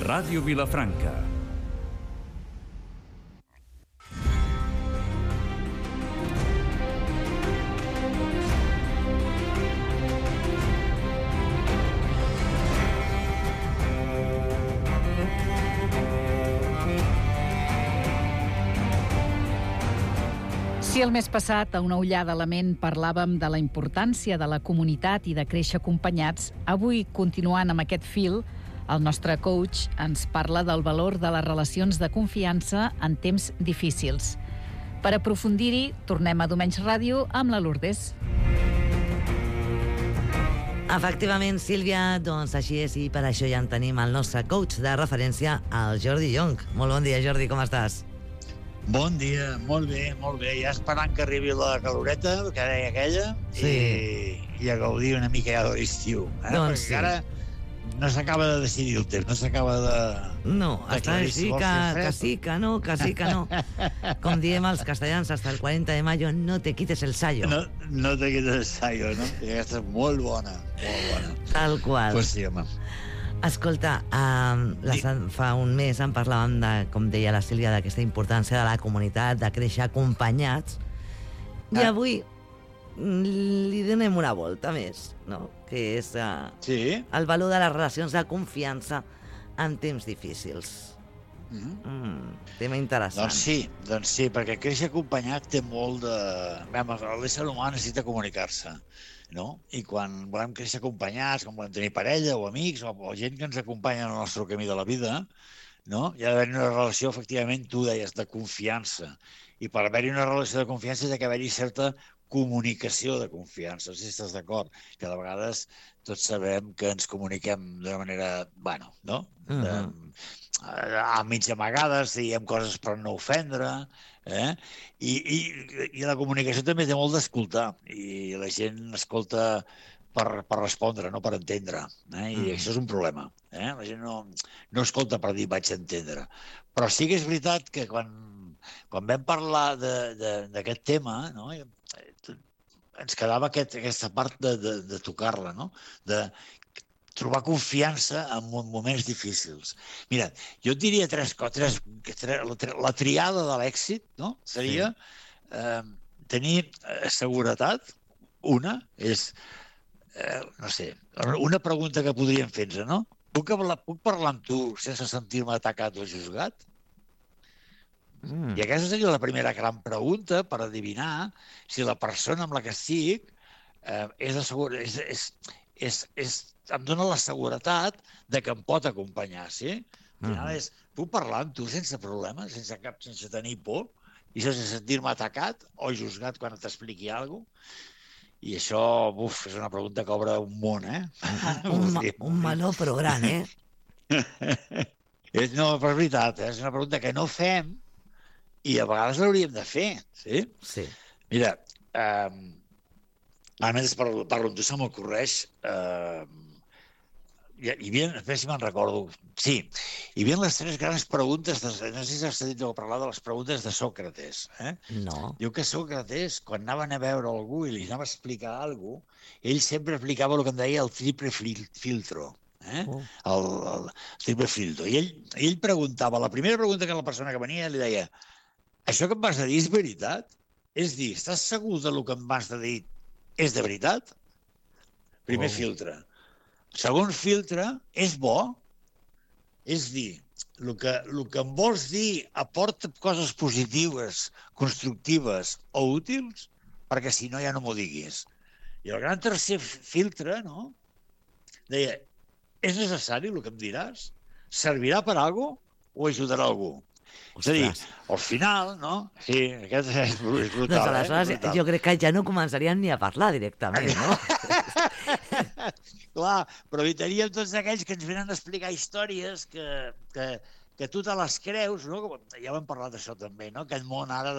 Ràdio Vilafranca. Si el mes passat, a una ullada a la ment, parlàvem de la importància de la comunitat i de créixer acompanyats, avui, continuant amb aquest fil, el nostre coach ens parla del valor de les relacions de confiança en temps difícils. Per aprofundir-hi, tornem a Domenys Ràdio amb la Lourdes. Efectivament, Sílvia, doncs així és, i per això ja en tenim el nostre coach de referència, el Jordi Llonch. Molt bon dia, Jordi, com estàs? Bon dia, molt bé, molt bé. Ja esperant que arribi la caloreta, que deia aquella, sí. i a gaudir una mica ja de l'estiu. Doncs perquè ara no s'acaba de decidir el temps, no s'acaba de... No, està així que sí, que no, que sí, que no. Com diem els castellans, hasta el 40 de mayo, no te quites el sayo. No te quites el sayo, no? I aquesta és molt bona, molt bona. Tal qual. Pues sí, home. Escolta, fa un mes en parlàvem, com deia la Sílvia, d'aquesta importància de la comunitat, de créixer acompanyats, i avui li donem una volta més, no? Que és el valor de les relacions de confiança en temps difícils. Tema interessant. Doncs sí, perquè créixer acompanyat té molt de... L'ésser humà necessita comunicar-se, no? I quan volem créixer acompanyats, quan volem tenir parella o amics o gent que ens acompanya en el nostre camí de la vida, no? Hi ha d'haver una relació, efectivament, tu deies, de confiança. I per haver-hi una relació de confiança ha d'haver-hi certa comunicació de confiança. No sé si estàs d'acord, que de vegades tots sabem que ens comuniquem d'una manera, no? A mig amagades, diem coses per no ofendre, i la comunicació també té molt d'escoltar, i la gent escolta per respondre, no per entendre, i això és un problema. La gent no escolta per dir vaig entendre. Però sí que és veritat que quan vam parlar d'aquest tema, no, ens quedava aquesta part de tocar-la, no? De trobar confiança en moments difícils. Mira, jo et diria la triada de l'èxit, no? Seria tenir seguretat. Una és, no sé, una pregunta que podríem fer-nos, no? Puc parlar amb tu sense sentir-me atacat o juzgat? I aquesta seria la primera gran pregunta per adivinar si la persona amb la que estic em dona la seguretat de que em pot acompanyar, sí? Al final puc parlar amb tu sense problema, sense tenir por, i sense sentir-me atacat o juzgat quan t'expliqui alguna cosa. I això, és una pregunta que obre un món, Un meló però gran, No, però és veritat, és una pregunta que no fem i a vegades l'hauríem de fer, sí? Sí. Mira, a més parlo amb tu, se m'ocorreix... hi havia, a si me'n recordo, sí, hi havia les tres grans preguntes, no sé si has sentit parlar de les preguntes de Sòcrates. No. Diu que Sòcrates, quan anaven a veure algú i li anava a explicar alguna cosa, ell sempre aplicava el que en deia el triple filtro. El triple filtro. I ell preguntava, la primera pregunta que la persona que venia li deia: això que em vas a dir és veritat? És dir, estàs segur de lo que em vas a dir és de veritat? Primer filtre. Segon filtre, és bo? És dir, el que em vols dir aporta coses positives, constructives o útils? Perquè si no ja no m'ho diguis. I el gran tercer filtre, no? Deia, és necessari el que em diràs? Servirà per a alguna cosa o ajudarà algú? És a dir, al final, no? Sí, aquest és brutal. Doncs aleshores jo crec que ja no començaríem ni a parlar directament, no? Clar, però evitaríem tots aquells que ens venen a explicar històries que tu te les creus, no? Ja ho hem parlat d'això també, no? Aquest món ara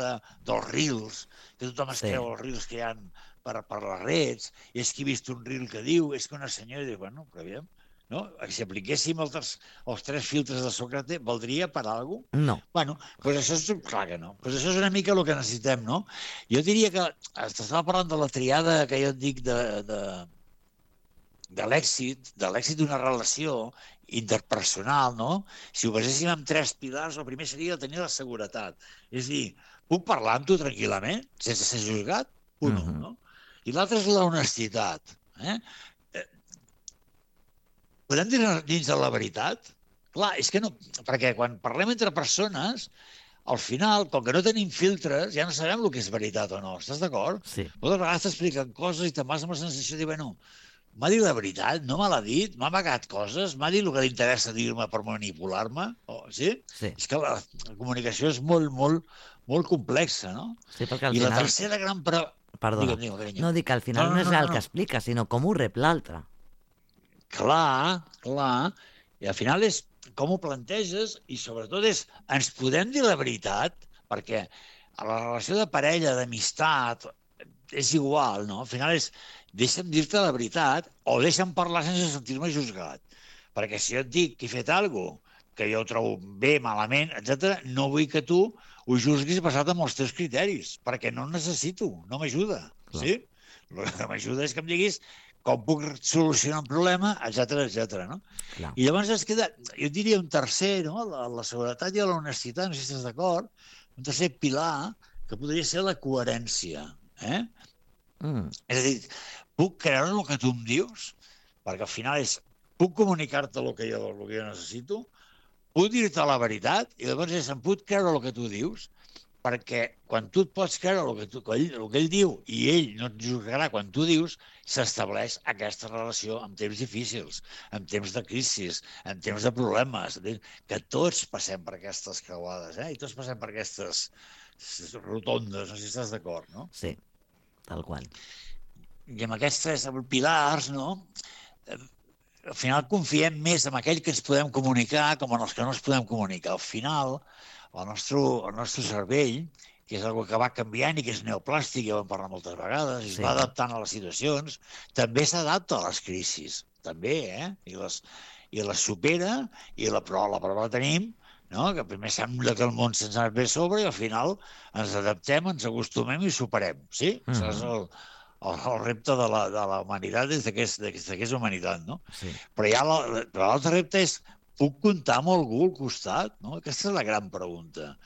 dels reels, que tothom es creu els reels que hi ha per les redes, i és que he vist un reel que diu, és que una senyora diu, bueno, però aviam, no? Si apliquéssim els tres filtres de Sòcrates, valdria per a alguna cosa? No. Bueno, doncs això és clar que no. Doncs això és una mica el que necessitem, no? Jo diria que estava parlant de la triada que jo et dic de l'èxit d'una relació interpersonal, no? Si ho baséssim en 3 pilars, el primer seria tenir la seguretat. És a dir, puc parlar amb tu tranquil·lament, sense ser juzgat? Punt 1, no? I l'altre és l'honestitat. Podem dir dins de la veritat? Clar, és que no... Perquè quan parlem entre persones, al final, com que no tenim filtres, ja no sabem el que és veritat o no. Estàs d'acord? Sí. Moltes vegades t'expliquen coses i te'n vas amb la sensació de dir, bueno, m'ha dit la veritat, no me l'ha dit, m'ha amagat coses, m'ha dit el que li interessa dir-me per manipular-me, sí? Sí. És que la comunicació és molt, molt, molt complexa, no? Sí, perquè al I la final... tercera gran... Perdona, Digue'm, carinyo. no dic que al final no és el que explica, sinó com ho rep l'altre. Clar. I al final és com ho planteges i sobretot és ens podem dir la veritat, perquè a la relació de parella, d'amistat, és igual, no? Al final és deixa'm dir-te la veritat o deixa'm parlar sense sentir-me juzgat. Perquè si jo et dic que he fet alguna cosa que jo ho trobo bé, malament, etc., no vull que tu ho juzguis basat en els teus criteris, perquè no el necessito, no m'ajuda. Sí? El que m'ajuda és que em diguis com puc solucionar un problema, etc. No? Clar. I llavors es queda, jo diria un tercer, no? La seguretat i la honestitat, no sé si estàs d'acord, un tercer pilar que podria ser la coherència. És a dir, puc creure el que tu em dius, perquè al final puc comunicar-te el que jo necessito, puc dir-te la veritat, i llavors em puc creure el que tu dius, perquè quan tu et pots creure el que ell diu i ell no et juzgarà quan tu dius, s'estableix aquesta relació en temps difícils, en temps de crisis, en temps de problemes, que tots passem per aquestes creuades, i tots passem per aquestes rotondes, no sé si estàs d'acord, no? Sí, tal qual. I amb aquests 3 pilars, no? Al final confiem més en aquell que ens podem comunicar com en els que no ens podem comunicar. Al final, el nostre cervell, que és una que va canviant i que és neoplàstic, ja ho hem parlat moltes vegades, i es va adaptant a les situacions, també s'adapta a les crisis, també, i les supera, però la prova la tenim, no? Que primer sembla que el món se'ns ha bé sobre i al final ens adaptem, ens acostumem i superem, sí? Això és el repte de la humanitat des que és humanitat, no? Sí. Però l'altre repte és, puc comptar amb algú al costat? No? Aquesta és la gran pregunta.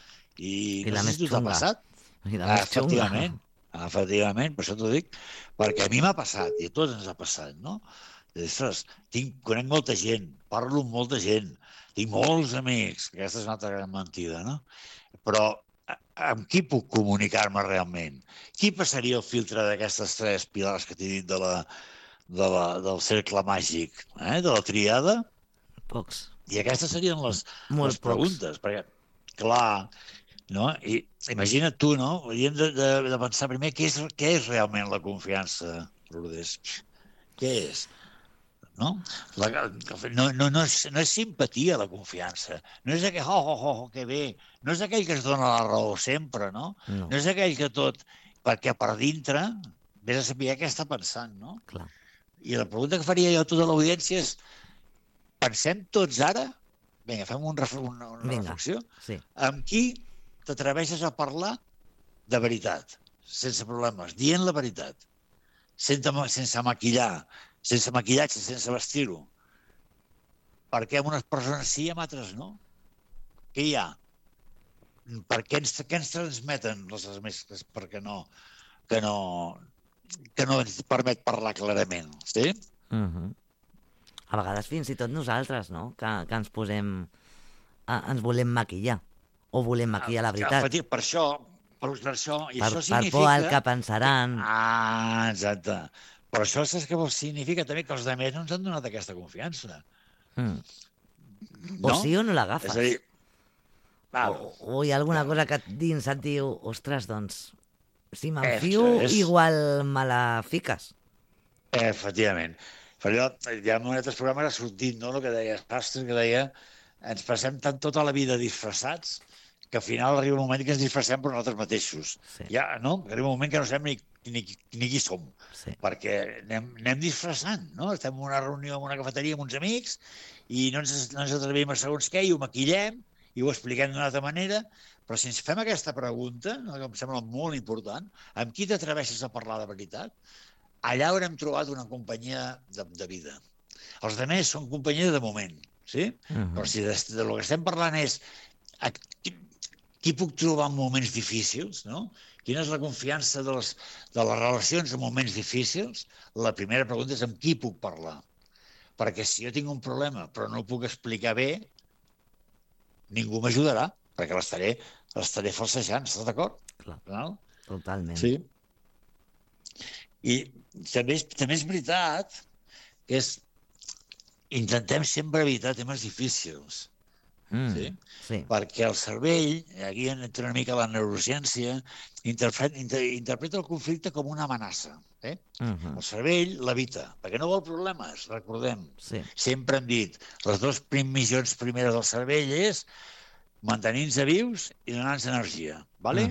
I no sé si t'ha passat. Efectivament, per això t'ho dic, perquè a mi m'ha passat, i a tots ens ha passat, no? Ostres, conec molta gent, parlo amb molta gent, tinc molts amics, aquesta és una altra gran mentida, no? Però amb qui puc comunicar-me realment? Qui passaria el filtre d'aquestes 3 pilars que t'he dit del cercle màgic, de la triada? Pocs. I aquestes serien les preguntes, perquè, clar, no? I imagina't tu, no? Hauríem de pensar primer què és realment la confiança, Lourdes. Què és? No? No és simpatia, la confiança. No és aquell, que bé. No és aquell que es dona la raó sempre, no? No és aquell que tot... Perquè per dintre vés a saber què està pensant, no? Clar. I la pregunta que faria jo a tota l'audiència és pensem tots ara? Vinga, fem una reflexió. Sí. Amb qui t'atreveixes a parlar de veritat, sense problemes, dient la veritat, sense maquillar, sense maquillatge, sense vestir-ho. Per què amb unes persones sí i amb altres no? Què hi ha? Per què ens transmeten les mescles? Perquè que no ens permet parlar clarament, sí? A vegades fins i tot nosaltres, no? Que ens posem... ens volem maquillar. O volem maquillar la veritat. Per això... I això significa... Per por al que pensaran. Exacte. Però això saps què significa també que els altres no ens han donat aquesta confiança. O sí o no l'agafes. És a dir... O hi ha alguna cosa que dins et diu ostres, doncs, si m'enfio, igual me la fiques. Efectivament. Però ja en altres programes ha sortit, no?, el que deia Sastre, que deia ens passem tota la vida disfressats que al final arriba un moment que ens disfressem per nosaltres mateixos. Ja, no? Arriba un moment que no sabem ni qui som, perquè anem disfressant, no? Estem en una reunió en una cafeteria amb uns amics i no ens atrevim a segons què i ho maquillem i ho expliquem d'una altra manera, però si ens fem aquesta pregunta, que em sembla molt important, amb qui t'atreveixes a parlar de veritat? allà haurem trobat una companyia de vida. Els altres són companyia de moment, sí? Però si del que estem parlant és qui puc trobar en moments difícils, no? Quina és la confiança de les relacions en moments difícils? La primera pregunta és amb qui puc parlar. Perquè si jo tinc un problema però no el puc explicar bé, ningú m'ajudarà, perquè l'estaré falsejant, estàs d'acord? Clar, totalment. Sí. I també és veritat que intentem sempre evitar temes difícils. Sí? Perquè el cervell, aquí entra una mica la neurociència, interpreta el conflicte com una amenaça. El cervell l'evita, perquè no vol problemes, recordem. Sí. Sempre hem dit, les dues missions primeres del cervell és mantenir-nos vius i donar-nos energia. Vale?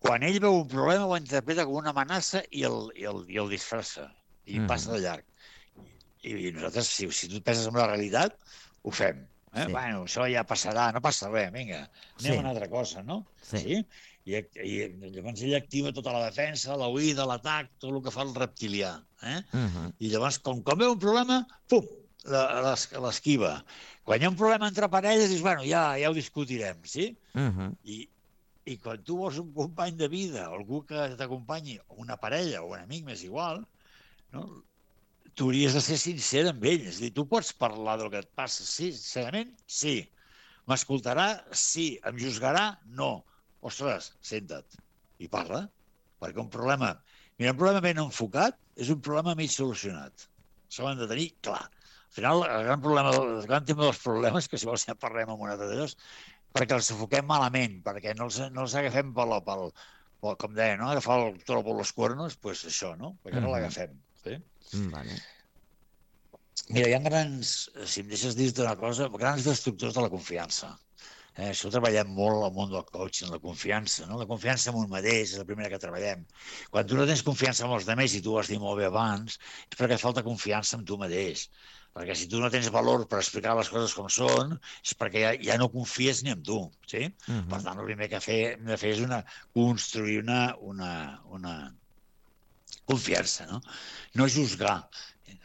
Quan ell veu un problema ho interpreta com una amenaça i el disfressa, i passa de llarg. I nosaltres, si tu penses en la realitat, ho fem. Sí. Bueno, això ja passarà, no passa res, vinga, anem a una altra cosa, no? Sí? I llavors ell activa tota la defensa, la huida, l'atac, tot el que fa el reptilià. I llavors, com veu un problema, pum, l'esquiva. Quan hi ha un problema entre parelles, dius, bueno, ja ho discutirem, sí? I quan tu vols un company de vida, algú que t'acompanyi, una parella o un amic, m'és igual, no? Tu hauries de ser sincer amb ell. És a dir, tu pots parlar del que et passa, sí, sincerament, sí. M'escoltarà? Sí. Em juzgarà? No. Ostres, senta't i parla. Perquè un problema ben enfocat és un problema mig solucionat. Això ho hem de tenir clar. Al final, el gran tema dels problemes, que si vols ja parlem amb un altre d'ells, perquè els enfoquem malament, perquè no els agafem com deia, no? Agafar el toro per los cuernos, doncs això, no? Perquè no l'agafem. Sí? Vale. Mira, hi ha grans, si em deixes dir-te una cosa, grans destructors de la confiança. Això treballem molt al món del coaching, la confiança, no? La confiança en un mateix és la primera que treballem. Quan tu no tens confiança en els altres, i tu ho has dit molt bé abans, és perquè falta confiança en tu mateix. Perquè si tu no tens valor per explicar les coses com són, és perquè ja no confies ni en tu, sí? Per tant, el primer que hem de fer és construir una confiança, no? No juzgar.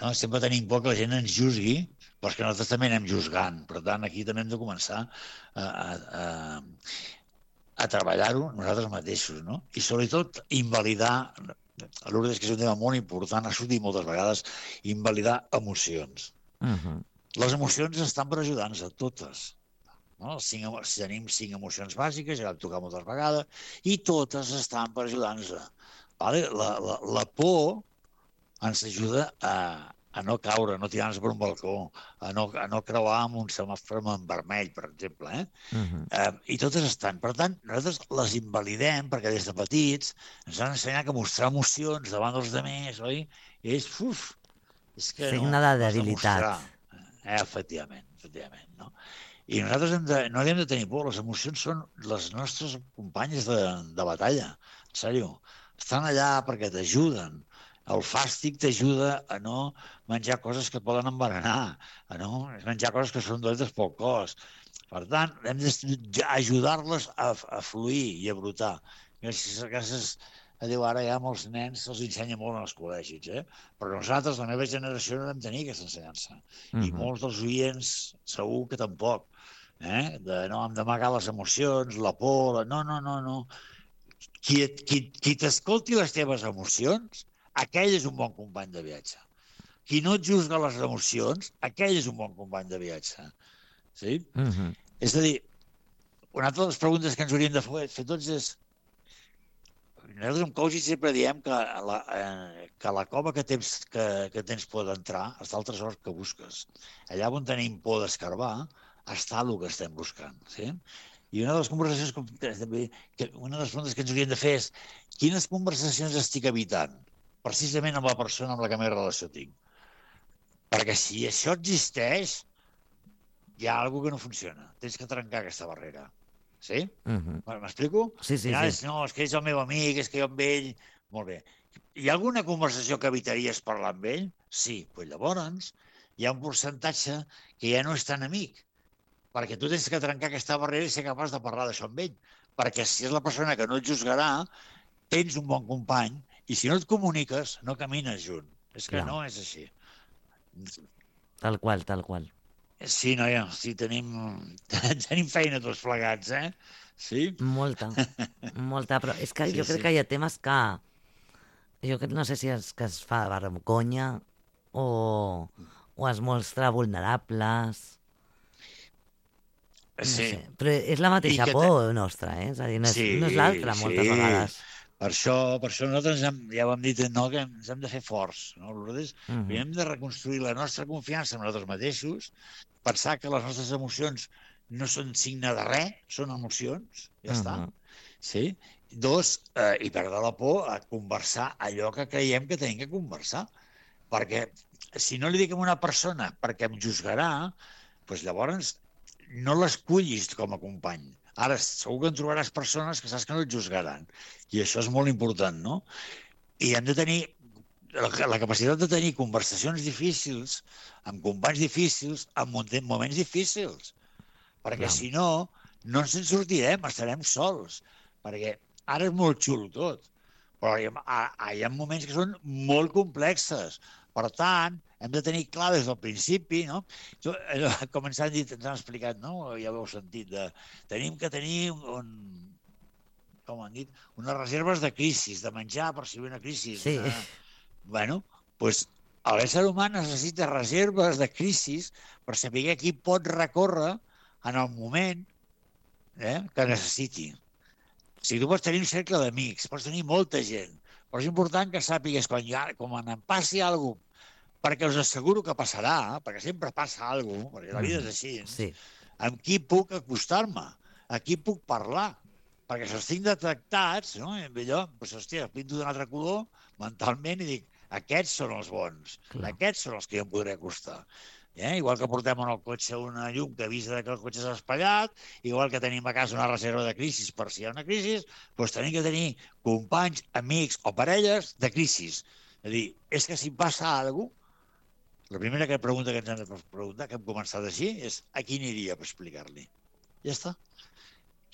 No? Sempre tenim por que la gent ens juzgui, però que nosaltres també anem juzgant. Per tant, aquí també hem de començar a treballar-ho nosaltres mateixos, no? I sobretot invalidar, a Lourdes, que és un tema molt important, ha sortit moltes vegades, invalidar emocions. Les emocions estan per ajudar-nos a totes. No? Tenim 5 emocions bàsiques, ja vam tocar moltes vegades, i totes estan per ajudar-nos. Vale? La por ens ajuda a no caure, a no tirar-nos per un balcó, a no creuar amb un semàfor en vermell, per exemple. I totes estan. Per tant, nosaltres les invalidem perquè des de petits ens han ensenyat que mostrar emocions davant dels altres, oi? És que signe de debilitat. Efectivament, no? I nosaltres no hem de tenir por. Les emocions són les nostres companyes de batalla. En sèrio. Estan allà perquè t'ajuden. El fàstic t'ajuda a no menjar coses que et poden envenenar, a no menjar coses que són dolentes pel cos. Per tant, hem d'ajudar-les a fluir i a brotar. Gràcies a Déu, ara ja molts nens se'ls ensenya molt en els col·legis, però nosaltres, la meva generació, no vam tenir aquesta ensenyança. I molts dels oients segur que tampoc. No hem d'amagar les emocions, la por... No. Qui t'escolti les teves emocions, aquell és un bon company de viatge. Qui no et juzga les emocions, aquell és un bon company de viatge. Sí? És a dir, una altra de les preguntes que ens hauríem de fer tots és... Nosaltres en coaching sempre diem que la cova que tens por d'entrar està al tresor que busques. Allà on tenim por d'escarbar està el que estem buscant. Sí? I una de les conversacions, una de les preguntes que ens hauríem de fer és quines conversacions estic evitant precisament amb la persona amb la que més relació tinc. Perquè si això existeix, hi ha alguna cosa que no funciona. Tens que trencar aquesta barrera. Sí? M'explico? Sí. No, és que és el meu amic, és que jo amb ell... Molt bé. Hi ha alguna conversació que evitaries parlar amb ell? Sí. Doncs llavors hi ha un percentatge que ja no és tan amic. Perquè tu tens que trencar aquesta barrera i ser capaç de parlar d'això amb ell. Perquè si és la persona que no et juzgarà, tens un bon company I si no et comuniques, no camines junt. És que Clar. no és així. Tal qual, tal qual. Sí, noia, sí, tenim feina tots plegats, eh? Sí? Molta, però és que jo crec que hi ha temes que no sé si és que es fa vergonya o es mostra vulnerables. No sé, però és la mateixa por nostra, eh? És a dir, no és l'altra moltes vegades. Per això nosaltres ja ho hem dit, no, que ens hem de fer forts. No? Nosaltres hem de reconstruir la nostra confiança en nosaltres mateixos, pensar que les nostres emocions no són signe de res, són emocions, ja està. Sí? 2, i perdre la por a conversar allò que creiem que tenim que conversar. Perquè si no li dic a una persona perquè em juzgarà, doncs llavors no l'escullis com a company. Ara, segur que en trobaràs persones que saps que no et juzgaran. I això és molt important, no? I hem de tenir la capacitat de tenir conversacions difícils, amb companys difícils, en moments difícils. Perquè si no, no ens en sortirem, estarem sols. Perquè ara és molt xulo tot, però hi ha moments que són molt complexes. Per tant, hem de tenir clar des del principi, no? Com ens han dit, ens han explicat, no? Ja ho heu sentit, tenim que tenir com han dit, unes reserves de crisis, de menjar per si ve una crisi. Sí. Bueno, doncs l'ésser humà necessita reserves de crisis per saber qui pot recórrer en el moment que necessiti. O sigui, tu pots tenir un cercle d'amics, pots tenir molta gent, però és important que sàpigues quan em passi alguna cosa, perquè us asseguro que passarà, perquè sempre passa alguna cosa, perquè la vida és així, amb qui puc acostar-me, a qui puc parlar, perquè si els tinc detectats, no? I allò, doncs, hòstia, pinto d'un altre color mentalment i dic, aquests són els bons, aquests són els que jo em podré acostar. Igual que portem en el cotxe una llum que avisa que el cotxe s'ha espatllat, igual que tenim a casa una reserva de crisis per si hi ha una crisi, doncs tenim que tenir companys, amics o parelles de crisis. És a dir, és que si passa alguna cosa, la primera pregunta que ens hem de preguntar, que hem començat així, és a qui aniria per explicar-li? Ja està.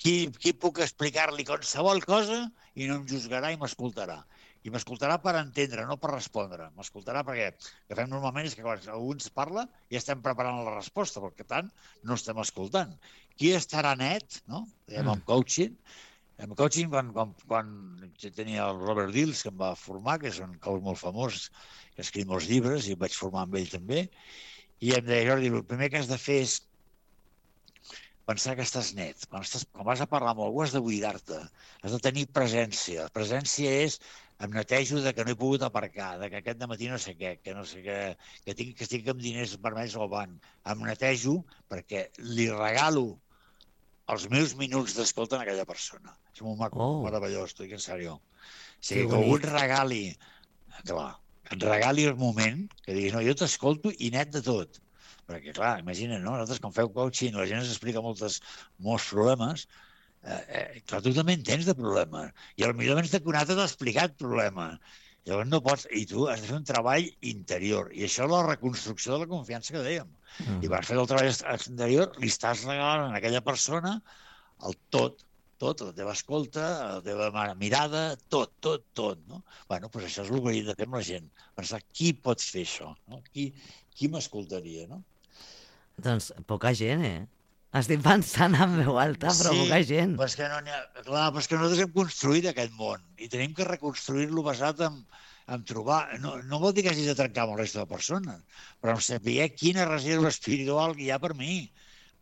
Qui puc explicar-li qualsevol cosa i no em juzgarà i m'escoltarà? I m'escoltarà per entendre, no per respondre. M'escoltarà perquè el que fem normalment és que quan algú ens parla ja estem preparant la resposta, perquè tant no estem escoltant. Qui estarà net, no? Amb coaching. Amb coaching, quan tenia el Robert Dills, que em va formar, que és un coach molt famós, que ha escrit molts llibres, i em vaig formar amb ell també, i em deia, Jordi, el primer que has de fer és pensar que estàs net. Quan vas a parlar amb algú has de buidar-te, has de tenir presència. Presència és em netejo de que no he pogut aparcar, de que aquest dematí no sé què, que estic amb diners vermells al banc. Em netejo perquè li regalo els meus minuts d'escolta a aquella persona. És molt maco, meravellós, t'ho dic en sèrio. O sigui, que algú et regali, clar, et regali el moment, que diguis, no, jo t'escolto i net de tot. Perquè, clar, imagina't, no? Nosaltres, quan feu coaching, la gent ens explica molts problemes, clar, tu també en tens de problemes. I potser abans de que un altre t'ha explicat problemes. Llavors no pots... I tu has de fer un treball interior. I això és la reconstrucció de la confiança que dèiem. I per fer el treball exterior li estàs regalant a aquella persona el tot, la teva escolta, la teva mirada, tot, no? Bueno, doncs això és el que hem de fer amb la gent. Pensar qui pot fer això, no? Qui m'escoltaria, no? Doncs poca gent, Estic pensant en veu alta, però poca gent. Sí, però és que nosaltres hem construït aquest món i tenim que reconstruir-lo basat en trobar... No vol dir que hagis de trencar amb el resta de persones, però en saber quina reserva espiritual hi ha per mi.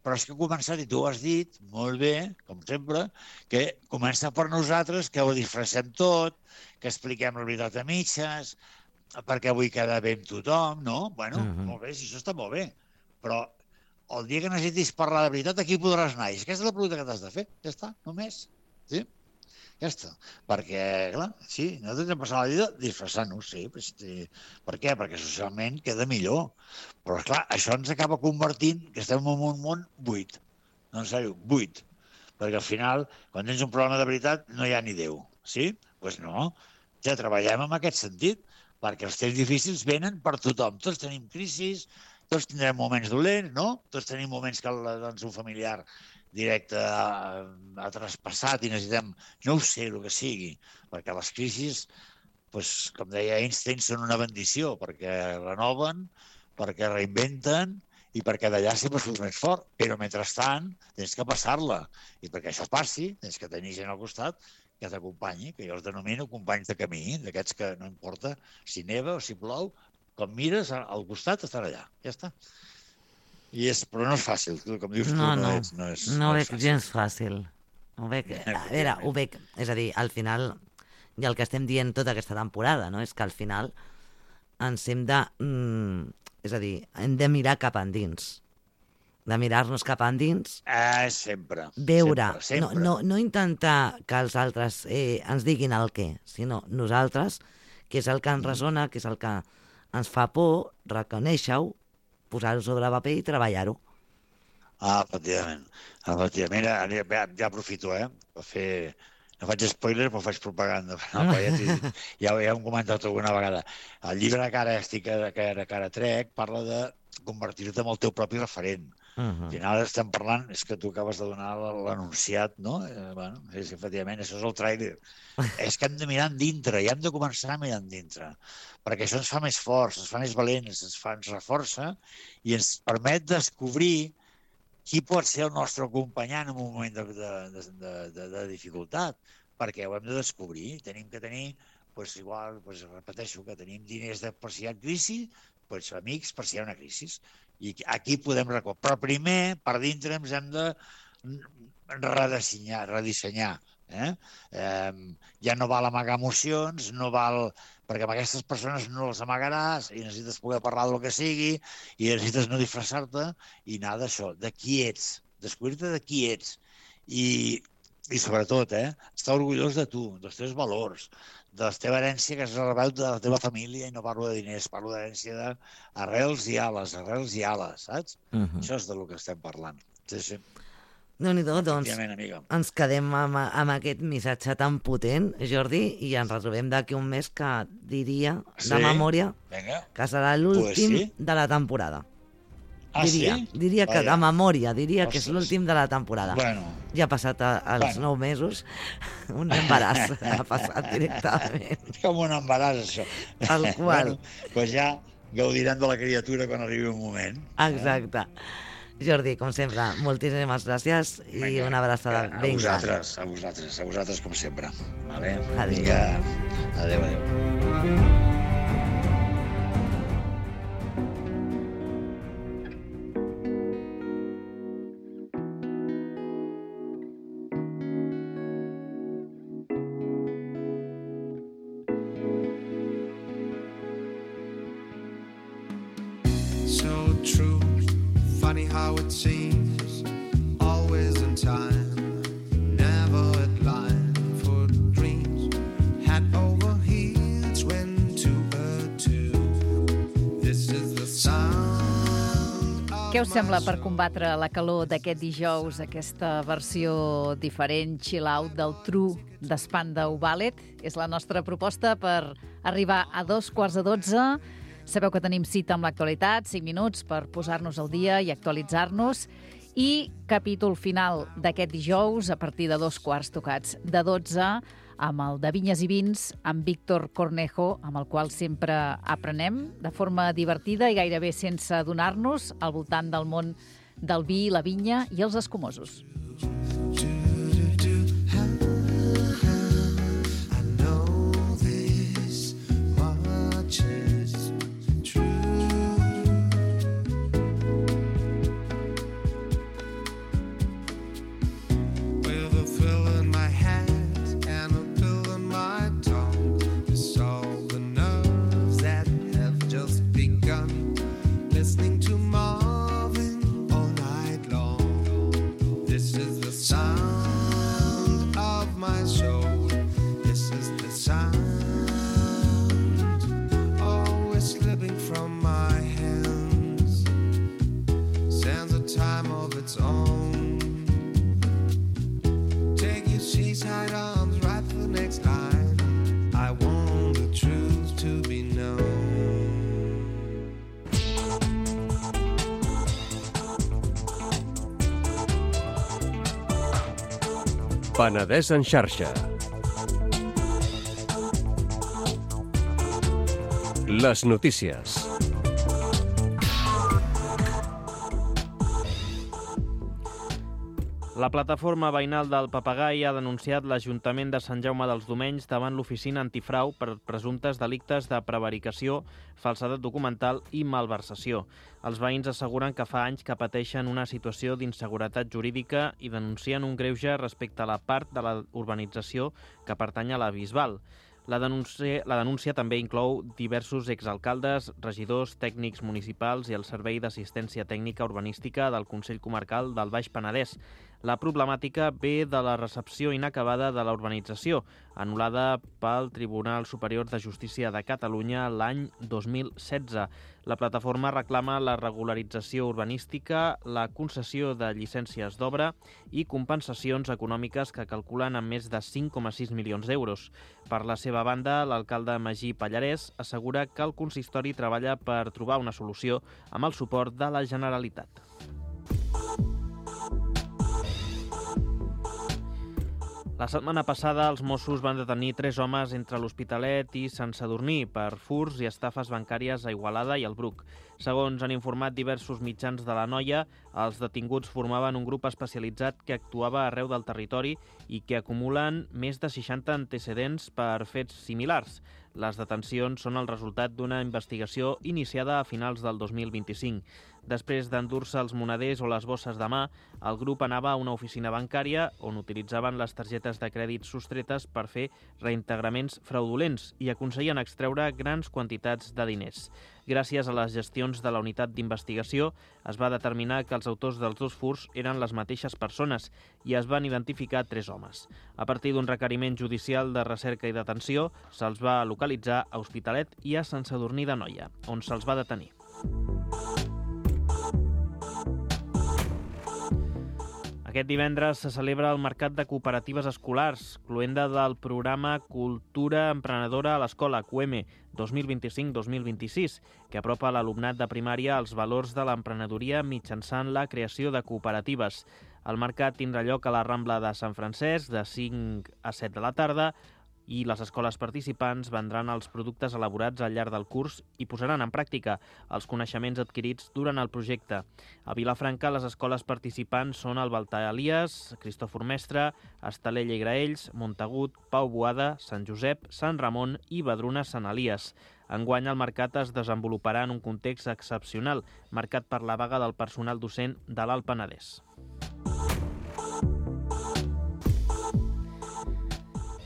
Però és que ha començat, i tu ho has dit molt bé, com sempre, que comença per nosaltres, que ho disfressem tot, que expliquem la veritat a mitges, perquè vull quedar bé amb tothom, no? Bueno, molt bé, si això està molt bé, però el dia que necessitis parlar de veritat, aquí podràs anar. I aquesta és la pregunta que t'has de fer. Ja està, només. Sí? Ja està. Perquè, clar, sí, nosaltres hem passat la vida disfressant-nos, sí. Per què? Perquè socialment queda millor. Però, clar, això ens acaba convertint que estem en un món buit. No, en sèrio, buit. Perquè al final, quan tens un problema de veritat, no hi ha ni Déu. Sí? Doncs no. Ja treballem en aquest sentit, perquè els temps difícils venen per tothom. Tots tenim crisis, tots tindrem moments dolents, no? Tots tenim moments que un familiar directe ha traspassat i necessitem, no ho sé, el que sigui, perquè les crisis com deia Einstein, són una bendició, perquè renoven, perquè reinventen i perquè d'allà sempre surts més fort. Però, mentrestant, tens que passar-la. I perquè això passi, tens que tenir gent al costat que t'acompanyi, que jo els denomino companys de camí, d'aquests que no importa si neva o si plou, com mires, al costat estan allà. Ja està. Però no és fàcil, com dius tu, no és veig gens fàcil. Ho veig, és a dir, al final, i el que estem dient tota aquesta temporada, no? És que al final ens hem de... És a dir, hem de mirar cap endins. De mirar-nos cap endins. Sempre. Veure. Sempre. No intentar que els altres ens diguin el què, sinó nosaltres, que és el que ens ressona, que és el que ens fa por, reconèixer-ho, posar-ho sobre paper i treballar-ho. Efectivament. Ja aprofito, per fer... No faig spoiler, però faig propaganda. Ja ho hem comentat alguna vegada. El llibre que ara trec parla de convertir-te en el teu propi referent. Al final estem parlant, és que tu acabes de donar l'anunciat, no? Efectivament, això és el tràiler. És que hem de mirar endintre, i hem de començar a mirar endintre, perquè això ens fa més forts, ens fa més valents, ens reforça i ens permet descobrir qui pot ser el nostre acompanyant en un moment de dificultat, perquè ho hem de descobrir. Tenim que tenir, repeteixo, que tenim diners per si hi ha crisi, amics per si hi ha una crisi. I aquí podem recuperar. Però primer, per dintre, ens hem de redissenyar. Ja no val amagar emocions, no val... perquè amb aquestes persones no les amagaràs i necessites poder parlar del que sigui i necessites no disfressar-te i anar d'això, de qui ets, descobrir-te de qui ets i sobretot, estar orgullós de tu, dels teus valors, de la teva herència que has rebut de la teva família, i no parlo de diners, parlo d'herència d'arrels i ales, saps? Això és del que estem parlant. Sí. Déu-n'hi-do, doncs ens quedem amb aquest missatge tan potent, Jordi, i ens retrobem d'aquí un mes que diria, de memòria, que serà l'últim de la temporada. Diria que de memòria, que és l'últim de la temporada. Ja ha passat els 9 mesos, un embaràs ha passat directament. És com un embaràs, això. Tal qual. Doncs ja gaudiran de la criatura quan arribi un moment. Exacte. Jordi, com sempre, moltíssimes gràcies i una abraçada ben gran. A vosaltres, com sempre. Adéu. Adéu. Funny how it seems, always in time, never at line for dreams, head over heels, went to a two. This is the sound of... Què us sembla per combatre la calor d'aquest dijous, aquesta versió diferent, chill out del True de Spandau Ballet? És la nostra proposta per arribar a 2:15. Sabeu que tenim cita amb l'actualitat, 5 minuts per posar-nos al dia i actualitzar-nos. I capítol final d'aquest dijous a partir de 2 tocats de 12 amb el de Vinyes i Vins, amb Víctor Cornejo, amb el qual sempre aprenem de forma divertida i gairebé sense adonar-nos al voltant del món del vi, la vinya i els escumosos. Listening to Marvin all night long. This is the sound of my soul. This is the sound always slipping from my hands. Sands a time of its own. Take your seaside arms right for the next line. I want the truth to be known. Penedès en xarxa. Les notícies. La plataforma veïnal del Papagai ha denunciat l'Ajuntament de Sant Jaume dels Domenys davant l'oficina antifrau per presumptes delictes de prevaricació, falsedat documental i malversació. Els veïns asseguren que fa anys que pateixen una situació d'inseguretat jurídica i denuncien un greuge respecte a la part de la urbanització que pertany a la Bisbal. La denúncia també inclou diversos exalcaldes, regidors, tècnics municipals i el Servei d'Assistència Tècnica Urbanística del Consell Comarcal del Baix Penedès. La problemàtica ve de la recepció inacabada de la urbanització, anul·lada pel Tribunal Superior de Justícia de Catalunya l'any 2016. La plataforma reclama la regularització urbanística, la concessió de llicències d'obra i compensacions econòmiques que calculen en més de 5,6 milions d'euros. Per la seva banda, l'alcalde Magí Pallarès assegura que el consistori treballa per trobar una solució amb el suport de la Generalitat. La setmana passada, els Mossos van detenir 3 homes entre l'Hospitalet i Sant Sadurní per furts i estafes bancàries a Igualada i al Bruc. Segons han informat diversos mitjans de l'Anoia, els detinguts formaven un grup especialitzat que actuava arreu del territori i que acumulen més de 60 antecedents per fets similars. Les detencions són el resultat d'una investigació iniciada a finals del 2025. Després d'endur-se els moneders o les bosses de mà, el grup anava a una oficina bancària on utilitzaven les targetes de crèdit sostretes per fer reintegraments fraudulents i aconseguien extreure grans quantitats de diners. Gràcies a les gestions de la unitat d'investigació, es va determinar que els autors dels 2 furts eren les mateixes persones i es van identificar 3 homes. A partir d'un requeriment judicial de recerca i detenció, se'ls va localitzar a Hospitalet i a Sant Sadurní d'Anoia, on se'ls va detenir. Aquest divendres se celebra el Mercat de Cooperatives Escolars, cloenda del programa Cultura Emprenedora a l'Escola, QM, 2025-2026, que apropa l'alumnat de primària als valors de l'emprenedoria mitjançant la creació de cooperatives. El mercat tindrà lloc a la Rambla de Sant Francesc de 5 a 7 de la tarda i les escoles participants vendran els productes elaborats al llarg del curs i posaran en pràctica els coneixements adquirits durant el projecte. A Vilafranca, les escoles participants són el Baltar Elias, Cristòfor Mestre, Estalella i Graells, Montagut, Pau Boada, Sant Josep, Sant Ramon i Badruna Sant Elias. Enguany, el mercat es desenvoluparà en un context excepcional, marcat per la vaga del personal docent de l'Alt Penedès.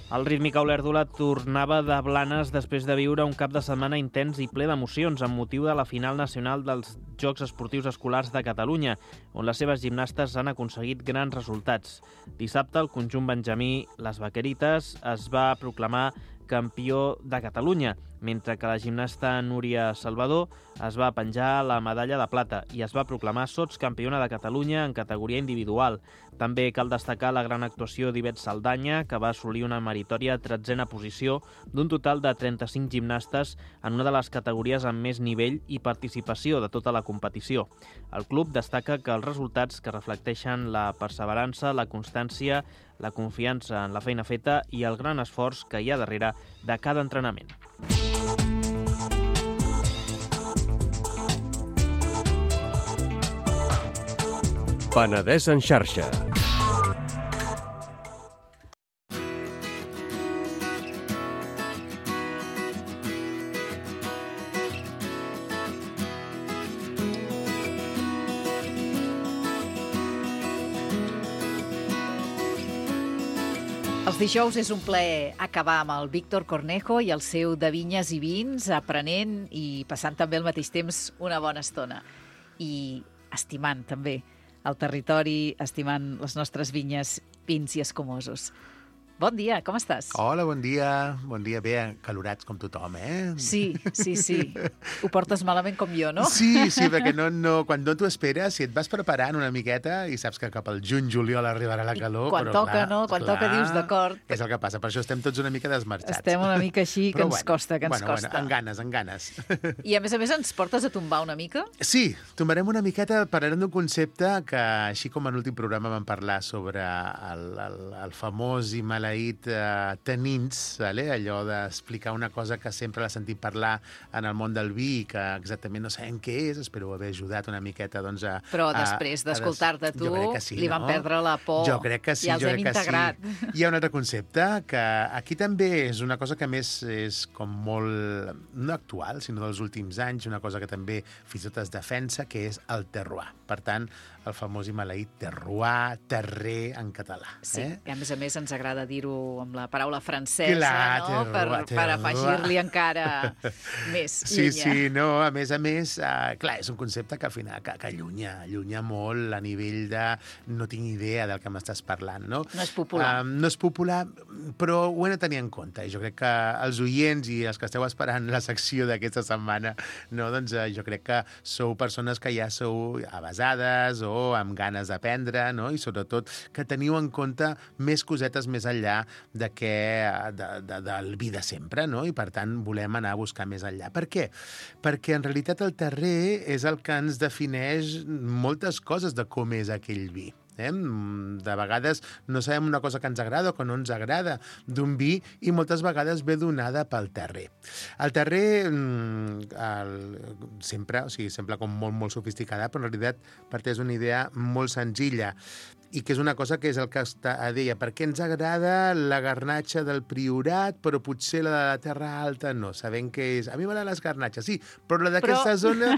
El rítmic Olèrdola tornava de Blanes després de viure un cap de setmana intens i ple d'emocions amb motiu de la final nacional dels Jocs Esportius Escolars de Catalunya, on les seves gimnastes han aconseguit grans resultats. Dissabte, el conjunt benjamí Les Vaquerites es va proclamar campió de Catalunya, mentre que la gimnasta Núria Salvador es va penjar la medalla de plata i es va proclamar sotscampiona de Catalunya en categoria individual. També cal destacar la gran actuació d'Ivet Saldanya, que va assolir una meritòria 13a posició d'un total de 35 gimnastes en una de les categories amb més nivell i participació de tota la competició. El club destaca que els resultats que reflecteixen la perseverança, la constància, la confiança en la feina feta i el gran esforç que hi ha darrere de cada entrenament. Penedès en xarxa. Els dijous és un plaer acabar amb el Víctor Cornejo i el seu de vinyes i vins, aprenent i passant també al mateix temps una bona estona. I estimant també el territori, estimant les nostres vinyes, vins i escumosos. Bon dia, com estàs? Hola, bon dia, bé, calorats com tothom, eh? Sí. Ho portes malament com jo, no? Sí, perquè quan no t'ho esperes, si et vas preparant una miqueta i saps que cap al juny-juliol arribarà la calor... Quan toca, no? Quan toca dius d'acord. És el que passa, per això estem tots una mica desmarxats. Estem una mica així, que ens costa, que ens costa. Bueno, en ganes. I a més ens portes a tombar una mica? Sí, tombarem una miqueta, parlarem d'un concepte que, així com en l'últim programa vam parlar sobre el famós i maleït maleït tanins, vale? Allò d'explicar una cosa que sempre l'ha sentit parlar en el món del vi, que exactament no sabem què és, espero haver ajudat una miqueta doncs, Però després d'escoltar-te tu, sí, li van perdre la por. Jo crec que sí, ja els hem integrat. Sí. Hi ha un altre concepte que aquí també és una cosa que a més és com molt, no actual, sinó dels últims anys, una cosa que també fins i tot es defensa, que és el terroir. Per tant, el famós i maleït terroir, terrer en català. Sí, que a més ens agrada dir-ho amb la paraula francesa, Clar, no? Per afegir-li encara més llenya. Sí, no, a més, clar, és un concepte que al final que allunya molt a nivell de no tinc idea del que m'estàs parlant, no? No és popular. No és popular, però ho hem de tenir en compte. I jo crec que els oients i els que esteu esperant la secció d'aquesta setmana, no, doncs jo crec que sou persones que ja sou avasades o amb ganes d'aprendre, no? I sobretot que teniu en compte més cosetes més enllà del vi de sempre, no? I per tant volem anar a buscar més enllà. Per què? Perquè en realitat el terrer és el que ens defineix moltes coses de com és aquell vi. De vegades no sabem una cosa que ens agrada o que no ens agrada d'un vi i moltes vegades ve donada pel terrer. El terrer sembla com molt sofisticada, però en realitat parteix d'una idea molt senzilla i que és una cosa que és el que deia, per què ens agrada la garnatxa del Priorat, però potser la de la Terra Alta no. Sabem que és... A mi m'agraden les garnatxes, sí, però la d'aquesta zona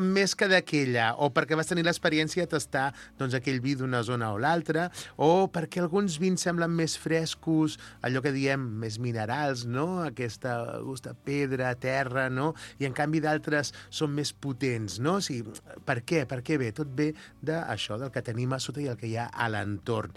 més que d'aquella, o perquè vas tenir l'experiència de tastar doncs, aquell vi d'una zona o l'altra, o perquè alguns vins semblen més frescos, allò que diem, més minerals, no? Aquesta gust de pedra, terra, no? I en canvi d'altres són més potents, no? O sigui, per què? Per què ve? Tot ve d'això, del que tenim a sota i el que hi ha a l'entorn.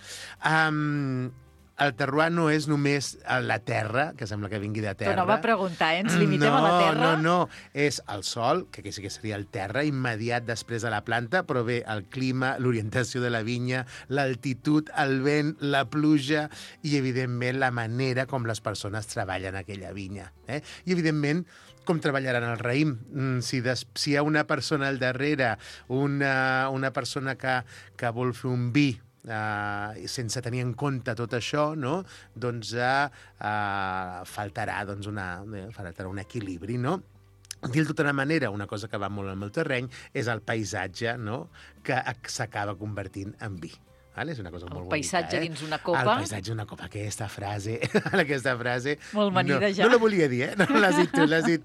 El terroir no és només la terra, que sembla que vingui de terra. Però no va preguntar, ens limitem a la terra? No. És el sol, que aquí sí que seria el terra, immediat després de la planta, però bé, el clima, l'orientació de la vinya, l'altitud, el vent, la pluja i, evidentment, la manera com les persones treballen aquella vinya. I, evidentment, com treballaran el raïm. Si hi ha una persona al darrere, una persona que vol fer un vi sense tenir en compte tot això, no? Doncs faltarà un equilibri, no? Dit d'una manera, una cosa que va molt al meu terreny és el paisatge, no? Que s'acaba convertint en vi. És una cosa molt bonica. El paisatge dins una copa. El paisatge dins una copa. Aquesta frase... Molt amanida ja. No la volia dir, No l'has dit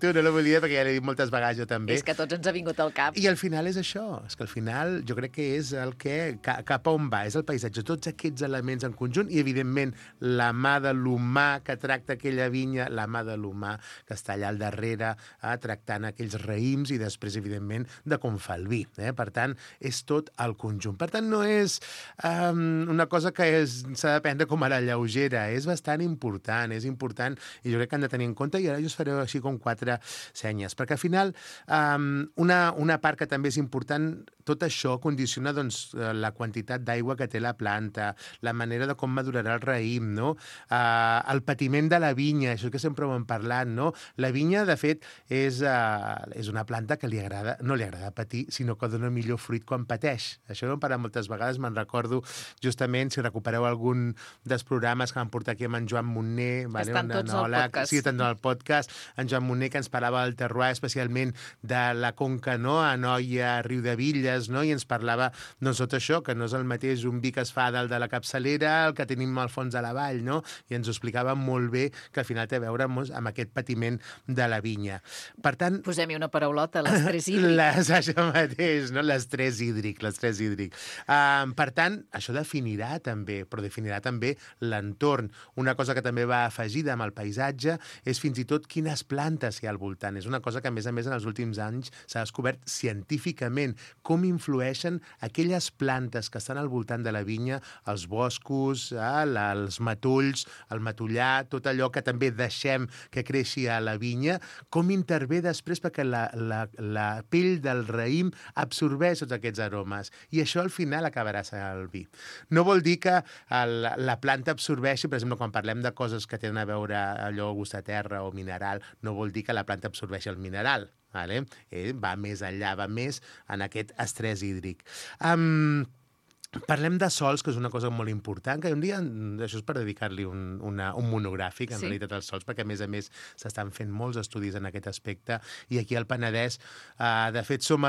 tu, no la volia dir perquè ja l'he dit moltes vegades jo també. És que a tots ens ha vingut al cap. I al final és això. És que al final jo crec que és el que... Cap a on va? És el paisatge. Tots aquests elements en conjunt i, evidentment, la mà de l'humà que tracta aquella vinya, la mà de l'humà que està allà al darrere tractant aquells raïms i després, evidentment, de com fa el vi. Per tant, és tot el conjunt. Per tant, no és... una cosa que s'ha de prendre com a la lleugera. És bastant important, és important i jo crec que han de tenir en compte i ara jo us faré així com 4 senyes, perquè al final una part que també és important, tot això condiciona doncs, la quantitat d'aigua que té la planta, la manera de com madurarà el raïm, no? El patiment de la vinya, això que sempre ho hem parlat, no? La vinya, de fet, és una planta que no li agrada patir, sinó que dona millor fruit quan pateix. Això ho hem parlat moltes vegades, me'n recordo justament, si recupereu algun dels programes que vam portar aquí amb en Joan Montner, estan tots al podcast. Sí, estan al podcast, en Joan Montner, que ens parlava del terroir, especialment de la conca, no?, a Anoia, a Riudevilles, no?, i ens parlava, doncs, tot això, que no és el mateix un vi que es fa dalt de la capçalera, el que tenim al fons de la vall, no?, i ens ho explicava molt bé, que al final té a veure amb aquest patiment de la vinya. Per tant... Posem-hi una paraulota, l'estrès hídric. Això mateix, no?, l'estrès hídric. Per tant, això definirà també, però definirà també l'entorn. Una cosa que també va afegida amb el paisatge és fins i tot quines plantes hi ha al voltant. És una cosa que, a més, en els últims anys s'ha descobert científicament com influeixen aquelles plantes que estan al voltant de la vinya, els boscos, els matolls, el matollar, tot allò que també deixem que creixi a la vinya, com intervé després perquè la pell del raïm absorbeix tots aquests aromes. I això al final acabarà sent el vi. No vol dir que la planta absorbeixi, per exemple, quan parlem de coses que tenen a veure allò gust de terra o mineral, no vol dir que la planta absorbeixi el mineral. Va més enllà, va més en aquest estrès hídric. Parlem de sols, que és una cosa molt important, que un dia, això és per dedicar-li un monogràfic, en realitat, als sols, perquè, a més, s'estan fent molts estudis en aquest aspecte, i aquí al Penedès, de fet, som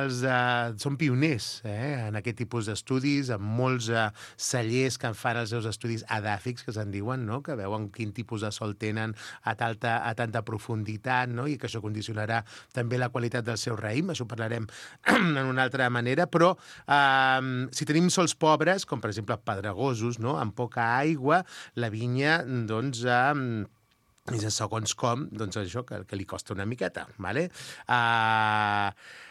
pioners en aquest tipus d'estudis, amb molts cellers que fan els seus estudis edàfics, que se'n diuen, no? Que veuen quin tipus de sol tenen a tanta profunditat, no? I que això condicionarà també la qualitat del seu raïm, això ho parlarem en una altra manera, però si tenim sols pobres, com per exemple pedregosos, no? Amb poca aigua, la vinya, doncs, és segons com, doncs això, que li costa una miqueta, ¿vale?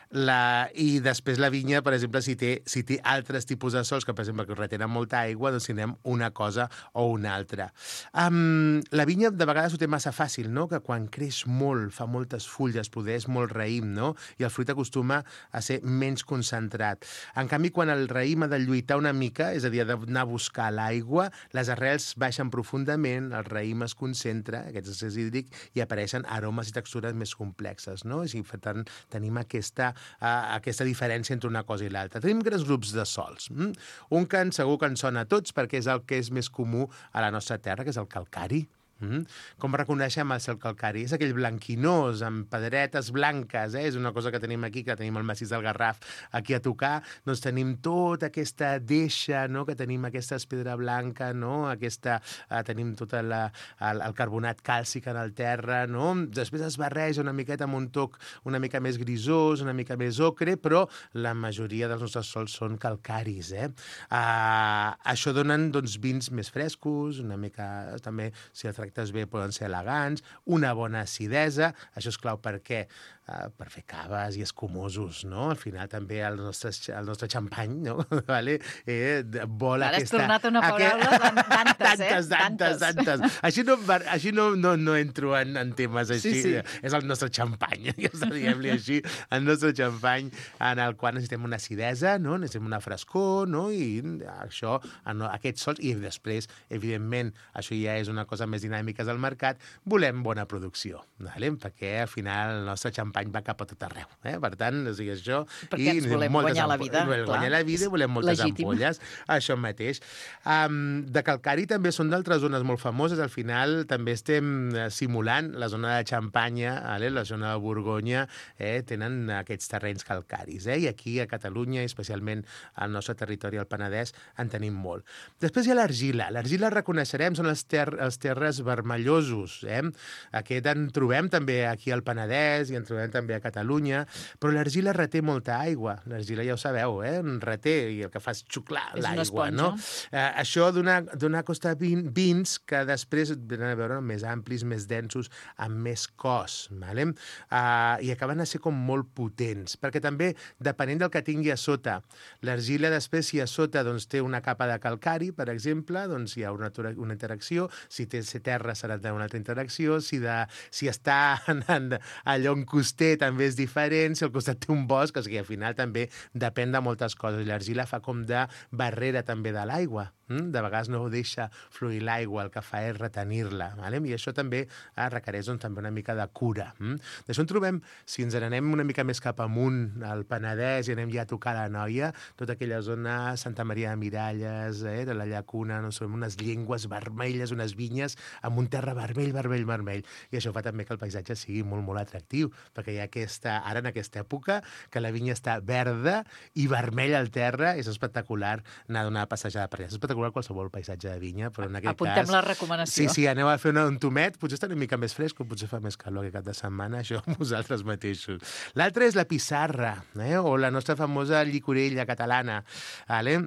I després la vinya, per exemple, si té altres tipus de sols, que per exemple que retenen molta aigua, doncs tindrem una cosa o una altra. La vinya de vegades ho té massa fàcil, no? Que quan creix molt, fa moltes fulles, produeix molt raïm, no? I el fruit acostuma a ser menys concentrat. En canvi, quan el raïm ha de lluitar una mica, és a dir, ha d'anar a buscar l'aigua, les arrels baixen profundament, el raïm es concentra, aquest excés hídric, i apareixen aromes i textures més complexes, no? I per tant, tenim aquesta diferència entre una cosa i l'altra. Tenim grans grups de sols. Un que segur que ens sona a tots, perquè és el que és més comú a la nostra terra, que és el calcari. Com reconeixem el cel calcari? És aquell blanquinós, amb pedretes blanques, és una cosa que tenim aquí, que tenim el massís del Garraf aquí a tocar, doncs tenim tota aquesta deixa, no? Que tenim aquesta pedra blanca, no? Tenim tot el carbonat càlcic en el terra, no? Després es barreja una miqueta amb un toc una mica més grisós, una mica més ocre, però la majoria dels nostres sols són calcaris, Això donen, doncs, vins més frescos, una mica, també, si el tractes bé, poden ser elegants, una bona acidesa, això és clau perquè per fer caves i escumosos, no? Al final també el nostre xampany, no? Vale? Vol Ara aquesta... has tornat una paraula tantes. Així no entro en temes així. Sí. És el nostre xampany, diguem-li així, el nostre xampany en el qual necessitem una acidesa, no? Necessitem una frescor, no? I això, aquests sols, i després, evidentment, això ja és una cosa més dinàmica del mercat, volem bona producció, vale? Perquè al final el nostre xampany va cap a tot arreu. Per tant, o sigui, això... Perquè ens volem guanyar la vida. Guanyar la vida i volem moltes ampolles. Això mateix. De calcari també són d'altres zones molt famoses. Al final també estem simulant la zona de Xampanya, la zona de Borgonya, tenen aquests terrenys calcaris. I aquí a Catalunya, i especialment al nostre territori, al Penedès, en tenim molt. Després hi ha l'argila. L'argila, reconeixerem, són els terres vermellosos. Aquest en trobem també aquí al Penedès i en trobem també a Catalunya, però l'argila reté molta aigua. L'argila ja ho sabeu, reté, i el que fa és xuclar l'aigua, no? Això dona costa vins que després venen a veure més amplis, més densos, amb més cos, vale? I acaben a ser com molt potents, perquè també, depenent del que tingui a sota, l'argila després, si a sota doncs, té una capa de calcari, per exemple, doncs hi ha una interacció, si té terra serà una altra interacció, si està allò en coster també és diferent, si al costat té un bosc, o sigui, al final també depèn de moltes coses. L'argila fa com de barrera també de l'aigua. De vegades no deixa fluir l'aigua, el que fa és retenir-la. I això també requereix també una mica de cura. D'això en trobem, si ens n'anem una mica més cap amunt, al Penedès, i anem ja a tocar la Noia, tota aquella zona, Santa Maria de Miralles, de la Llacuna, no sé, unes llengües vermelles, unes vinyes amb un terra vermell. I això fa també que el paisatge sigui molt, molt atractiu, perquè hi ha ara en aquesta època, que la vinya està verda i vermella al terra, és espectacular anar a donar passejada per allà. És espectacular qualsevol paisatge de vinya, però en aquest Apuntem cas... la recomanació. Sí, aneu a fer un tomet, potser està una mica més fresc, o potser fa més calor aquest cap de setmana, això vosaltres mateixos. L'altre és la pissarra, o la nostra famosa llicorella catalana, vale?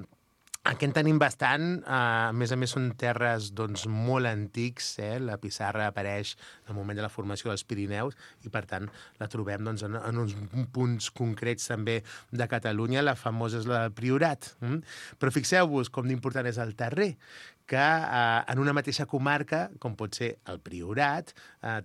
Aquí en tenim bastant, a més són terres molt antics, la pissarra apareix en el moment de la formació dels Pirineus i per tant la trobem en uns punts concrets també de Catalunya, la famosa és la del Priorat. Però fixeu-vos com d'important és el terrer, que en una mateixa comarca, com pot ser el Priorat,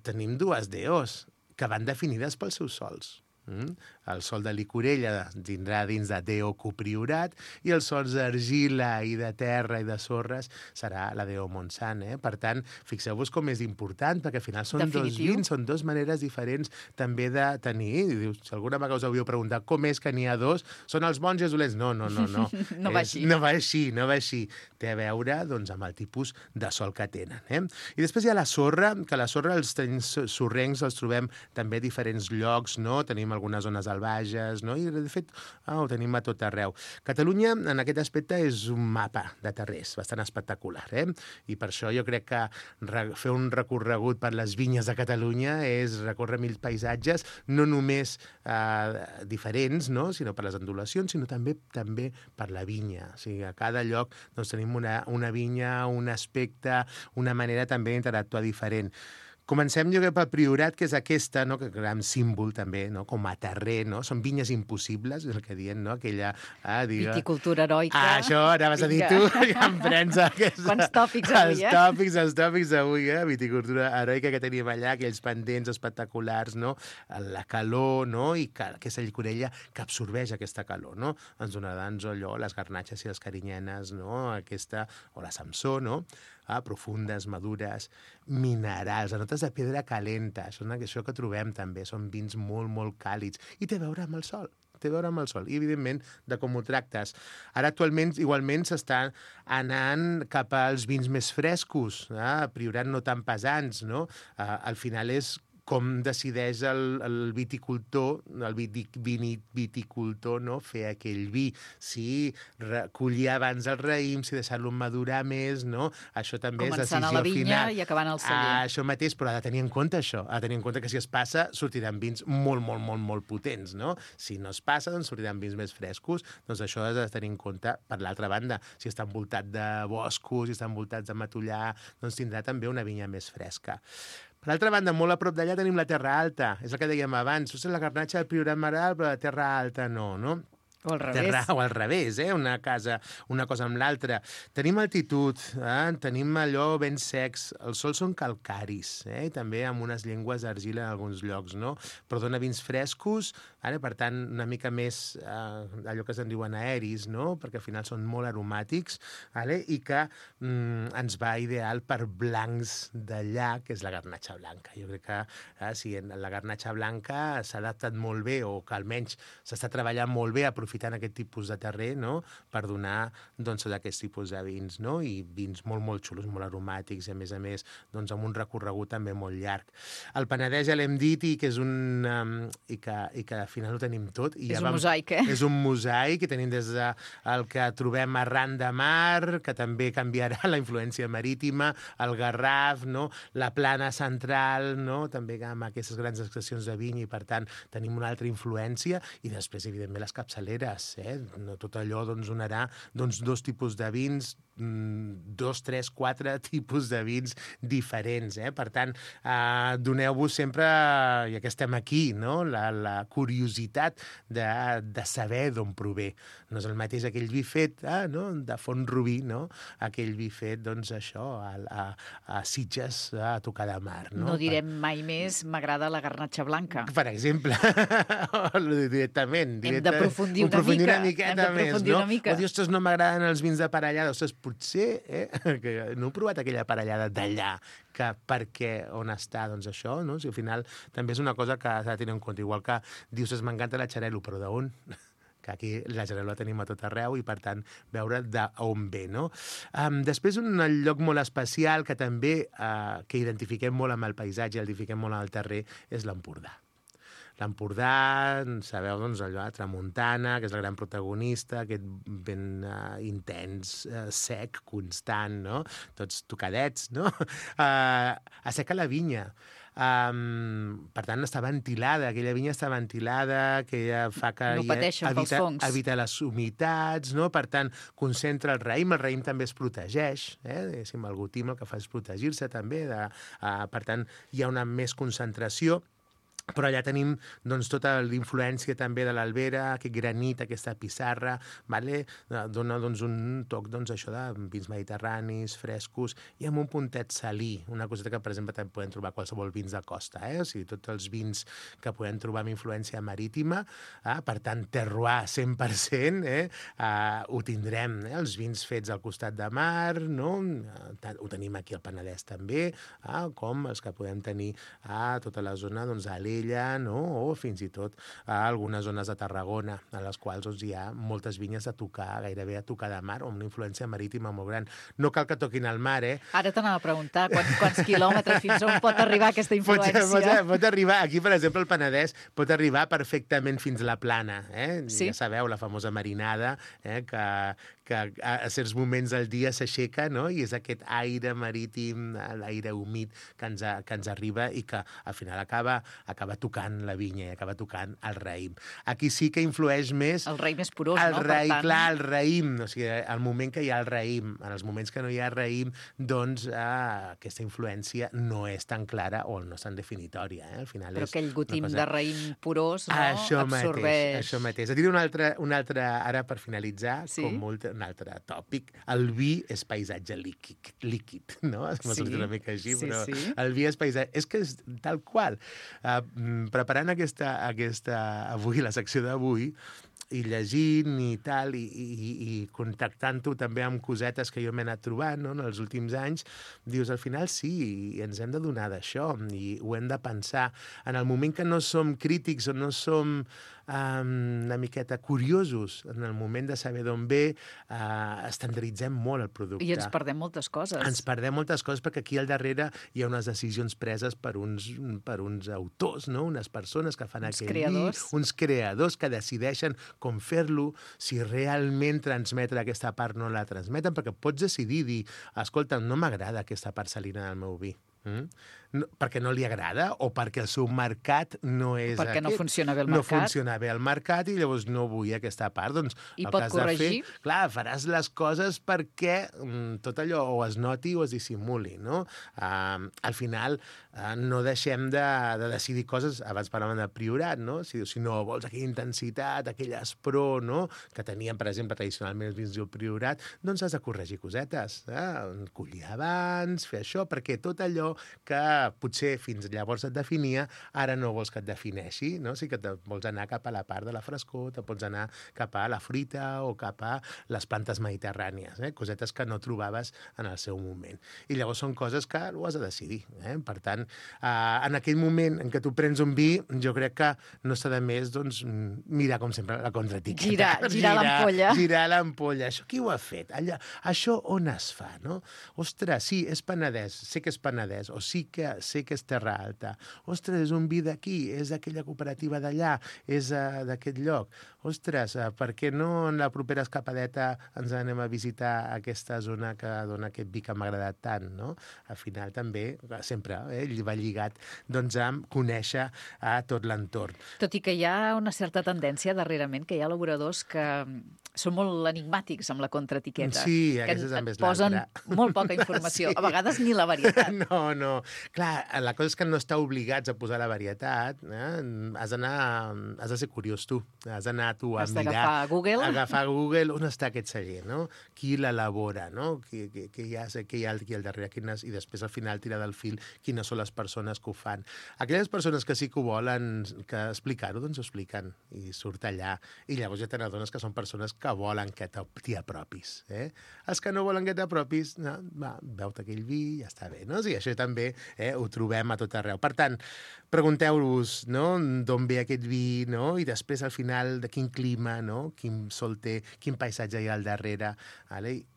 tenim dues DOs que van definides pels seus sols. El sòl de licorella tindrà dins de DO copriorat i els sòls d'argila i de terra i de sorres serà la DO Montsant. Per tant, fixeu-vos com és important, perquè al final són dos vins, són dues maneres diferents també de tenir. Dius, si alguna vegada us havíeu preguntat com és que n'hi ha dos, són els bons i els dolents? No. No va així. No va així. Té a veure doncs, amb el tipus de sòl que tenen. I després hi ha la sorra, que la sorra, els terrenys sorrencs els trobem també a diferents llocs, no? Tenim algunes zones albages, no? I de fet ho tenim a tot arreu. Catalunya, en aquest aspecte, és un mapa de terrers bastant espectacular, I per això jo crec que fer un recorregut per les vinyes de Catalunya és recórrer 1000 paisatges, no només diferents, no? Sinó per les ondulacions, sinó també per la vinya. O sigui, a cada lloc doncs, tenim una vinya, un aspecte, una manera també d'interactuar diferent. Comencem, jo crec, pel Priorat, que és aquesta, no? Que gran símbol també, no? Com a terrer, no? Són vinyes impossibles, és el que diuen, no? Aquella... Viticultura heroica. Això, anaves a dir tu, ja em prens aquesta... Quants tòpics avui, Els tòpics d'avui, Viticultura heroica que tenim allà, aquells pendents espectaculars, no? La calor, no? I que aquesta llicorella que absorbeix aquesta calor, no? Ens donarà allò, les garnatxes i les carinyenes, no? Aquesta, o la Samsó, no? Profundes, madures, minerals, notes de pedra calenta, això que trobem també, són vins molt, molt càlids, i té a veure amb el sol. I, evidentment, de com ho tractes. Ara, actualment, igualment, s'estan anant cap als vins més frescos, Priorat no tan pesants, no? Al final és com decideix el viticultor, viticultor, no? Fer aquell vi. Si collir abans el raïm, si deixar-lo madurar més, no? Això també és decisió final. Començant a la vinya i acabant al celler. Això mateix, però ha de tenir en compte això. Ha de tenir en compte que si es passa, sortiran vins molt, molt, molt, molt potents, no? Si no es passa, doncs sortiran vins més frescos. Doncs això has de tenir en compte per l'altra banda. Si està envoltat de boscos, si està envoltat de matollar, doncs tindrà també una vinya més fresca. Per l'altra banda, molt a prop d'allà tenim la Terra Alta. És el que dèiem abans. És la garnatxa del Priorat Maral, però la Terra Alta no? O al revés. O al revés, una cosa amb l'altra. Tenim altitud, tenim allò ben secs, els sols són calcaris, i també amb unes llengües d'argila en alguns llocs, no? Però dona vins frescos, per tant, una mica més allò que se'n diuen aeris, no? Perquè al final són molt aromàtics, i que ens va ideal per blancs d'allà, que és la garnatxa blanca. Jo crec que si la garnatxa blanca s'ha adaptat molt bé, o que almenys s'està treballant molt bé aprofitant aquest tipus de terrer, no? Per donar aquest tipus de vins, no? I vins molt, molt xulos, molt aromàtics, i a més, amb un recorregut també molt llarg. El Penedès ja l'hem dit, i que és i que al final ho tenim tot. És un mosaic, És un mosaic, i tenim des del que trobem arran de mar, que també canviarà la influència marítima, el Garraf, no? La plana central, no? També amb aquestes grans extensions de viny, i per tant tenim una altra influència, i després, evidentment, les capçaleres. No tot allò donarà dos tipus de vins, 2, 3, 4 tipus de vins diferents. Per tant, doneu-vos sempre, ja que estem aquí, no? La curiositat de saber d'on prové. No és el mateix aquell vi fet de Font-rubí, no? Aquell vi fet, a Sitges, a tocar de mar. No direm mai més m'agrada la garnatxa blanca. Per exemple, directament. Hem d'aprofundir una miqueta més, no? O dir, ostres, no m'agraden els vins de parellada. Ostres, potser, que no he provat aquella parellada d'allà, que perquè on està, doncs això, no? Si al final també és una cosa que s'ha de tenir en compte. Igual que dius, m'encanta la xarel·lo, però d'on? Que aquí la xarel·lo la tenim a tot arreu, i per tant veure d'on ve, no? Després, un lloc molt especial que també que identifiquem molt amb el paisatge, identifiquem molt amb el terrer, és l'Empordà. L'Empordà, sabeu, allò, tramuntana, que és el gran protagonista, aquest ben intens, sec, constant, no? Tots tocadets, no? Asseca la vinya. Per tant, està ventilada, aquella vinya està ventilada, que fa que no pateixen pels fongs. Evita les humitats, no? Per tant, concentra el raïm també es protegeix, el gotim el que fa és protegir-se també, per tant, hi ha una més concentració. però allà tenim doncs, tota l'influència també de l'Albera, aquest granit, aquesta pissarra, vale? Dona doncs, un toc això de vins mediterranis, frescos, i amb un puntet salí, una coseta que, per exemple, també podem trobar qualsevol vins de costa, o sigui, tots els vins que podem trobar amb influència marítima, per tant, terroir 100%, ho tindrem, els vins fets al costat de mar, no? Ho tenim aquí al Penedès també, com els que podem tenir a tota la zona d'Alella, no? O fins i tot a algunes zones de Tarragona, en les quals hi ha moltes vinyes a tocar, gairebé a tocar de mar, o amb una influència marítima molt gran. No cal que toquin al mar, Ara t'anava a preguntar quants quilòmetres fins on pot arribar aquesta influència. Pot arribar, aquí, per exemple, el Penedès pot arribar perfectament fins a la Plana. Sí. Ja sabeu, la famosa marinada, que a certs moments del dia s'aixeca, no? I és aquest aire marítim, l'aire humit que ens arriba i que al final acaba tocant la vinya i acaba tocant el raïm. Aquí sí que influeix més... El raïm és porós, no? Per tant... Clar, el raïm. O sigui, al moment que hi ha el raïm, en els moments que no hi ha raïm, doncs aquesta influència no és tan clara o no és tan definitòria. Al final però és aquell gotim cosa... de raïm porós, no? Això Absorbeix... Això mateix. Et diré un altre, ara per finalitzar, sí? un altre tòpic. El vi és paisatge líquid, no? M'ha sortit una mica així, però el vi és paisatge... És que és tal qual. Preparant avui, la secció d'avui, i llegint i tal, i contactant-ho també amb cosetes que jo m'he anat trobant, no? En els últims anys, dius, al final sí, ens hem de donar d'això, i ho hem de pensar. En el moment que no som crítics o no som una miqueta curiosos, en el moment de saber d'on ve, estandarditzem molt el producte. I ens perdem moltes coses. Ens perdem moltes coses perquè aquí al darrere hi ha unes decisions preses per uns autors, no? Unes persones que fan aquell vi, uns creadors que decideixen com fer-lo, si realment transmetre aquesta part no la transmeten, perquè pots decidir dir, escolta, no m'agrada aquesta part salina del meu vi. No, perquè no li agrada o perquè el seu mercat no és o perquè aquest. No funciona bé el mercat. No funciona bé el mercat i llavors no vull aquesta part. Doncs, i pot corregir? Clar, faràs les coses perquè tot allò o es noti o es dissimuli, no? Al final no deixem de decidir coses, abans parlàvem de priorat, no? Si no vols aquella intensitat, aquell aspror, no? Que tenien, per exemple, tradicionalment els vins del priorat, doncs has de corregir cosetes. Collir abans, fer això, perquè tot allò que potser fins llavors et definia, ara no vols que et defineixi, no? Sí que vols anar cap a la part de la frescor, te pots anar cap a la fruita o cap a les plantes mediterrànies, cosetes que no trobaves en el seu moment. I llavors són coses que ho has de decidir. Per tant, en aquell moment en què tu prens un vi, jo crec que no està de més doncs, mirar, com sempre, la contraetiqueta. Girar l'ampolla. Girar l'ampolla. Això qui ho ha fet? Això on es fa, no? Ostres, sí, és Penedès, sé que és Penedès, o sí que sé que és Terra Alta. Ostres, és un vi d'aquí, és d'aquella cooperativa d'allà, és d'aquest lloc. Ostres, per què no en la propera escapadeta ens anem a visitar aquesta zona que dona aquest vi que m'ha agradat tant, no? Al final també, sempre, va lligat doncs, a conèixer a tot l'entorn. Tot i que hi ha una certa tendència darrerament, que hi ha elaboradors que són molt enigmàtics amb la contraetiqueta. Sí, que aquesta també és posen l'altra. molt poca informació, a vegades ni la varietat. No. Clar, la cosa és que no està obligats a posar la varietat. Has de ser curiós tu. Has d'anar tu a mirar. Has d'agafar Google. Agafar Google on està aquest celler, no? Qui l'elabora, no? Què hi ha aquí al darrere, i després al final tirar del fil quines són les persones que ho fan. Aquelles persones que sí que ho volen que explicar-ho, doncs ho expliquen i surt allà. I llavors ja te n'adones que són persones que volen que t'hi apropis. Els que no volen que t'apropis, veu-te aquell vi i ja està bé, no? Sí, això també ho trobem a tot arreu. Per tant, pregunteu-vos, no? D'on ve aquest vi, no? I després al final de quin clima, no? Quin sol té, quin paisatge hi ha al darrere.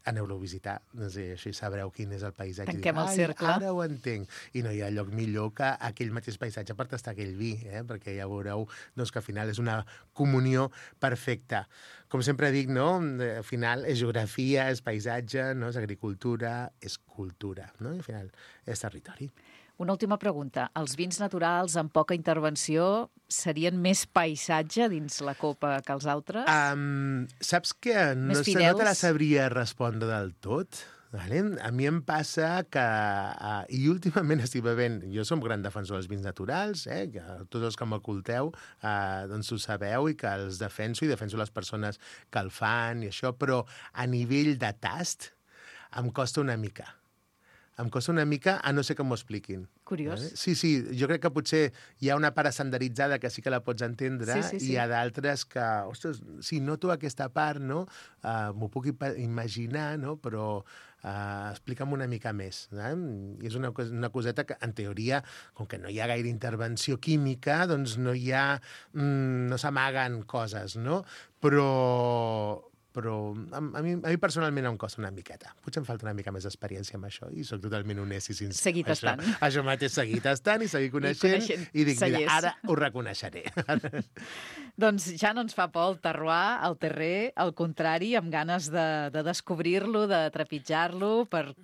Aneu-lo a visitar, no sé, així sabreu quin és el paisatge. Tanquem el cercle. Ara ho entenc. I no hi ha lloc millor que aquell mateix paisatge per tastar aquell vi, perquè ja veureu doncs, que al final és una comunió perfecta. Com sempre dic, no? Al final és geografia, és paisatge, no? És agricultura, és cultura, no? I al final és territori. Una última pregunta. Els vins naturals amb poca intervenció serien més paisatge dins la copa que els altres? Saps que no te la sabria respondre del tot? Vale? A mi em passa que, i últimament estic bevent, jo som gran defensor dels vins naturals, que tots els que m'oculteu doncs ho sabeu i que els defenso i defenso les persones que el fan i això, però a nivell de tast em costa una mica. Em costa una mica, a no ser que m'ho expliquin. Curiós. Vale? Sí, jo crec que potser hi ha una part estandaritzada que sí que la pots entendre Sí. i hi ha d'altres que, ostres, sí, noto aquesta part, no? M'ho puc imaginar, no? Però explica'm una mica més. I és una coseta que, en teoria, com que no hi ha gaire intervenció química, doncs no no s'amaguen coses, no? Però a mi personalment em costa una miqueta. Potser em falta una mica més d'experiència amb això i sóc totalment honest i sincer. Seguir tastant. Això mateix, seguir tastant i seguir coneixent. I dic, mira, ara ho reconeixeré. Doncs ja no ens fa por el terroir, el terrer, al contrari, amb ganes de descobrir-lo, de trepitjar-lo, per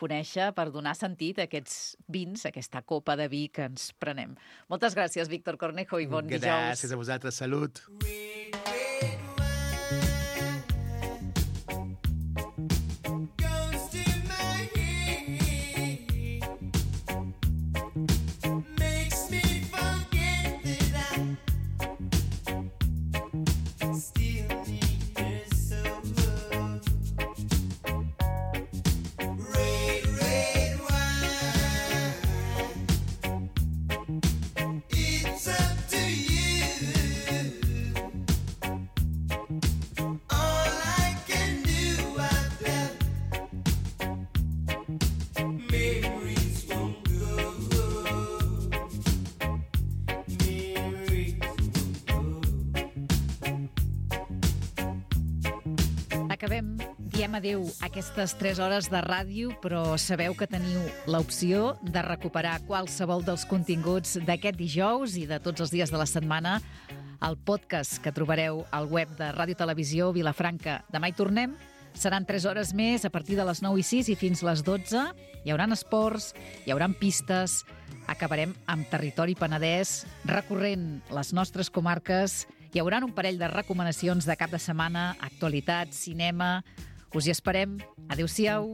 conèixer, per donar sentit a aquests vins, a aquesta copa de vi que ens prenem. Moltes gràcies, Víctor Cornejo, i bon dijous. Gràcies a vosaltres, salut. Acabem, diem adéu a aquestes 3 hores de ràdio, però sabeu que teniu l'opció de recuperar qualsevol dels continguts d'aquest dijous i de tots els dies de la setmana al podcast que trobareu al web de Ràdio Televisió Vilafranca. Demà hi tornem. Seran 3 hores més a partir de les 9:06 i fins les 12. Hi haurà esports, hi haurà pistes. Acabarem amb Territori Penedès, recorrent les nostres comarques. Hi haurà un parell de recomanacions de cap de setmana, actualitat, cinema. Us hi esperem. Adéu-siau.